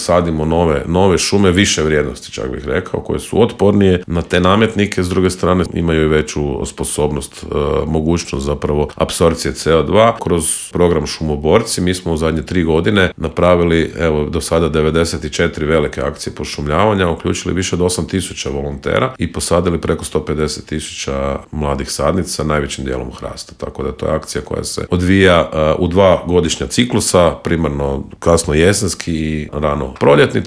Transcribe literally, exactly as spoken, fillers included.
sadimo nove, nove šume više vrijednosti, čak bih rekao, koje su otpornije na te nametnike, s druge strane imaju i veću sposobnost, e, mogućnost zapravo apsorpcije C O dva. Kroz program Šumoborci mi smo u zadnje tri godine napravili, evo, do sada devedeset četiri velike akcije pošumljavanja, uključili više od osam tisuća volontera i posadili preko sto pedeset tisuća mladih sadnica, najvećim dijelom hrasta. Tako da to je akcija koja se odvija uh, u dva godišnja ciklusa, primarno kasno jesenski i rano proljetni.